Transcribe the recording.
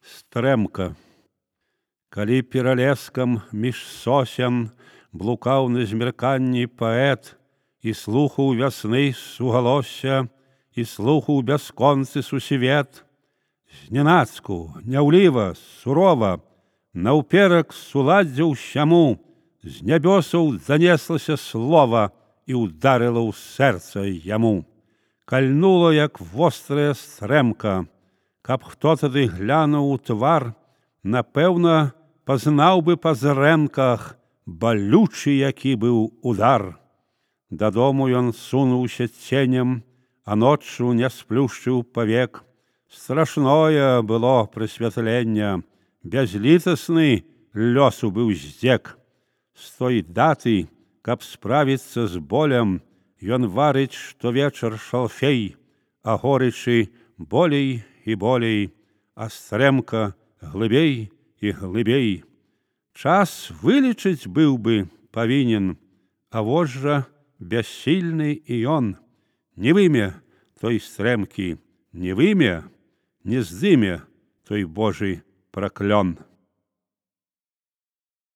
Стрэмка. Калі пералескам між сосен блукаў на змярканні паэт і слухаў вясны сугалосся і слухаў бясконцы сусвет, знянацку, няўліва, сурова, наўперак суладдзя ўсяму, з нябёсаў занеслася слова і ўдарыла ў сэрца яму. Кальнула, як вострая стрэмка. Каб хто тады глянуў у твар, напэўна, пазнаў бы па зрэнках балючы, які быў удар. Дадому ён сунуўся ценем, а ноччу не сплюшчыў павек. Страшное было прысвятленне, бязлітасны лёсу быў здзек. З той даты, каб справіцца з болем, ён варыць штовечар шалфей, а горычы болей і болей, а стрэмка глыбей і глыбей. Час вылечыць быў бы павінен, а вось жа бяссільны і ён. Не выме той стрэмкі, не выме, не здыме той Божы праклён.